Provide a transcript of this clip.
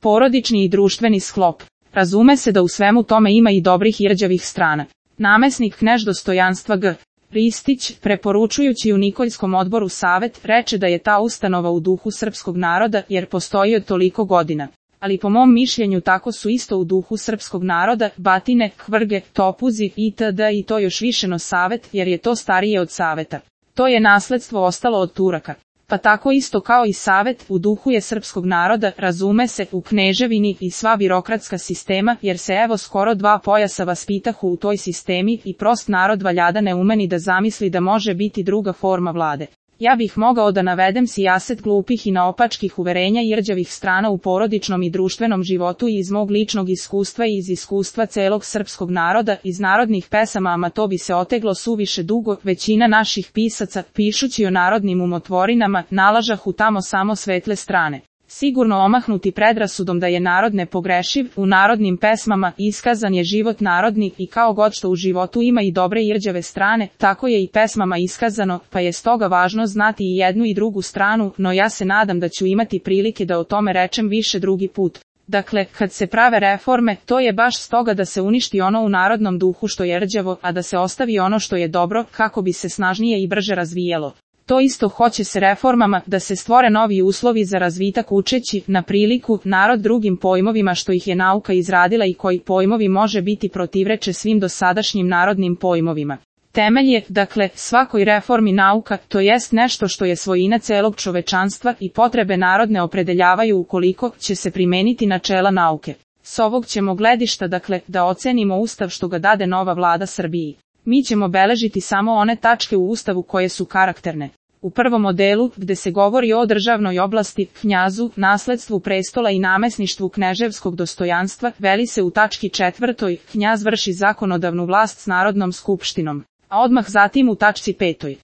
Porodični i društveni sklop. Razume se da u svemu tome ima i dobrih i rđavih strana. Namesnik knez dostojanstva G. Ristić, preporučujući u Nikoljskom odboru savet, reče da je ta ustanova u duhu srpskog naroda jer postoji od toliko godina. Ali po mom mišljenju tako su isto u duhu srpskog naroda, batine, kvrge, topuzi itd. I to još više no savet jer je to starije od saveta. To je nasledstvo ostalo od Turaka. Pa tako isto kao i savet, u duhu je srpskog naroda, razume se, u kneževini i sva birokratska sistema, jer se evo skoro 2 pojasa vaspitahu u toj sistemi i prost narod valjada ne umeni da zamisli da može biti druga forma vlade. Ja bih mogao da navedem sijaset glupih i naopačkih uverenja i rđavih strana u porodičnom i društvenom životu i iz mog ličnog iskustva i iz iskustva celog srpskog naroda, iz narodnih pesama, ama to bi se oteglo suviše dugo. Većina naših pisaca, pišući o narodnim umotvorinama, nalažahu tamo samo svetle strane. Sigurno omahnuti predrasudom da je narod nepogrešiv, u narodnim pesmama iskazan je život narodni i kao god što u životu ima i dobre i rđave strane, tako je i pesmama iskazano, pa je stoga važno znati i jednu i drugu stranu, no ja se nadam da ću imati prilike da o tome rečem više drugi put. Dakle, kad se prave reforme, to je baš stoga da se uništi ono u narodnom duhu što je rđavo, a da se ostavi ono što je dobro, kako bi se snažnije i brže razvijalo. To isto hoće se reformama, da se stvore novi uslovi za razvitak učeći, na priliku, narod drugim pojmovima što ih je nauka izradila i koji pojmovi može biti protivreče svim dosadašnjim narodnim pojmovima. Temelj je, dakle, svakoj reformi nauka, to jest nešto što je svojina celog čovečanstva i potrebe narodne opredeljavaju ukoliko će se primeniti načela nauke. S ovog ćemo gledišta, dakle, da ocenimo ustav što ga dade nova vlada Srbiji. Mi ćemo beležiti samo one tačke u ustavu koje su karakterne. U prvom modelu, gde se govori o državnoj oblasti, knjazu, nasledstvu prestola i namesništvu kneževskog dostojanstva, veli se u tački 4. Knjaz vrši zakonodavnu vlast s Narodnom skupštinom, a odmah zatim u tačci 5.